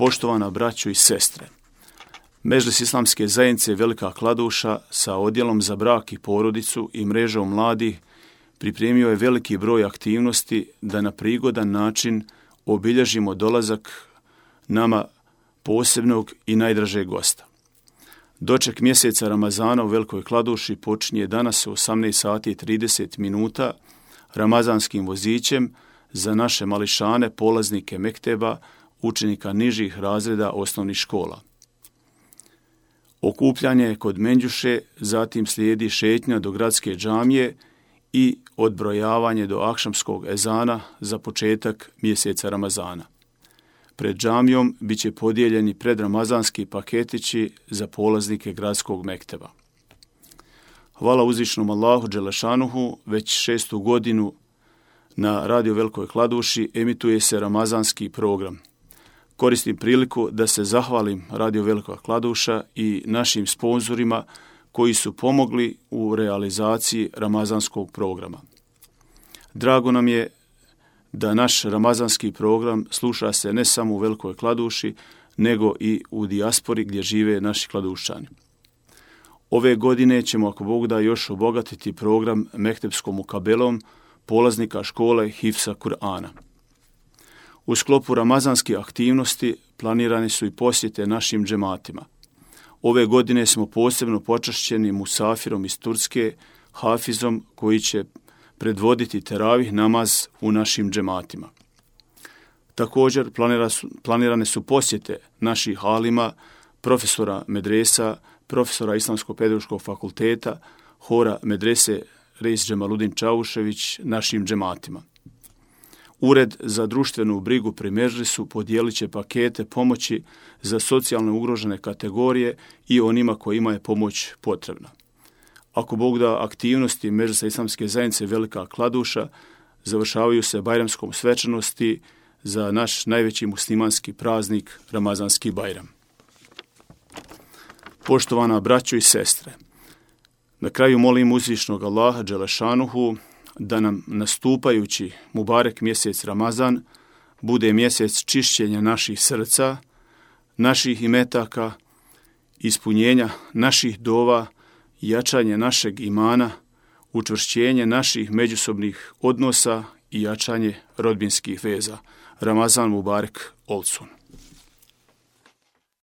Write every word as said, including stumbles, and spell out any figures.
Poštovana braćo i sestre, Medžlis Islamske zajednice Velika Kladuša sa odjelom za brak i porodicu i mrežom mladih pripremio je veliki broj aktivnosti da na prigodan način obilježimo dolazak nama posebnog i najdražeg gosta. Doček mjeseca Ramazana u Velikoj Kladuši počinje danas u osamnaest sati i trideset minuta ramazanskim vozićem za naše mališane, polaznike mekteba, učenika nižih razreda osnovnih škola. Okupljanje je kod Menđuše, zatim slijedi šetnja do gradske džamije i odbrojavanje do akšamskog ezana za početak mjeseca Ramazana. Pred džamijom bit će podijeljeni predramazanski paketići za polaznike gradskog mekteba. Hvala uzvišnom Allahu Đelešanuhu, već šestu godinu na Radio Velikoj Kladuši emituje se ramazanski program. Koristim priliku da se zahvalim Radio Velika Kladuša i našim sponzorima koji su pomogli u realizaciji ramazanskog programa. Drago nam je da naš ramazanski program sluša se ne samo u Velikoj Kladuši, nego i u dijaspori gdje žive naši kladuščani. Ove godine ćemo, ako Bog da, još obogatiti program mektepskom mukabelom polaznika škole Hifsa Kur'ana. U sklopu ramazanske aktivnosti planirane su i posjete našim džematima. Ove godine smo posebno počašćeni musafirom iz Turske, Hafizom, koji će predvoditi teravih namaz u našim džematima. Također planirane su posjete naših alima, profesora medresa, profesora Islamsko-pedagoškog fakulteta, hora medrese Reis Džemaludin Čavušević našim džematima. Ured za društvenu brigu pri Medžlisu podijelit će pakete pomoći za socijalno ugrožene kategorije i onima kojima je pomoć potrebna. Ako Bog da, aktivnosti Medžlisa Islamske zajednice Velika Kladuša završavaju se bajramskom svečanosti za naš najveći muslimanski praznik Ramazanski Bajram. Poštovana braćo i sestre, na kraju molim uzvišnog Allaha Đelešanuhu da nam nastupajući Mubarek mjesec Ramazan bude mjesec čišćenja naših srca, naših imetaka, ispunjenja naših dova, jačanje našeg imana, učvršćenje naših međusobnih odnosa i jačanje rodbinskih veza. Ramazan Mubarek Olsun.